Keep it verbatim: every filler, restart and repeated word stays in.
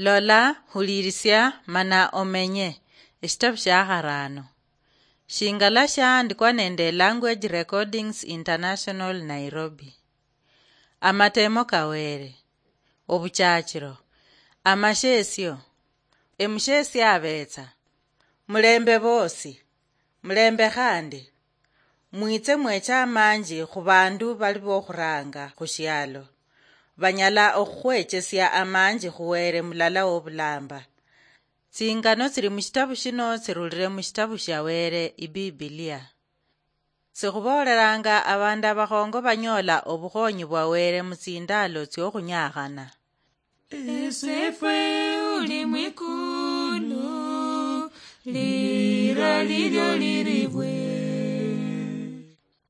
Lola, hulirisia, mana omenye. Eshitabu shia harano. Shingala shaandikwa nende Language Recordings International, Nairobi. Amatemo ka Wele. Obuchachiro. Amashesio. Emushesio abetsa. Mulembe bosi. Mulembe khandi. Mwitse mweche amanji khu bandu bali bokhuranga khu shialo. Banyala okhukhwechesia amanji khu Wele mulala wobulamba. Tsingano tsili mushitabu shino tsirulile mushitabu shia Wele, Ibibilia. Sikhuboolelanga abandu abakhongo banyoola obukhonyi bwa Wele mutsindalo tsiokhunyaakhana. Esefwe uli mwikulu, lira lilyo liribwe.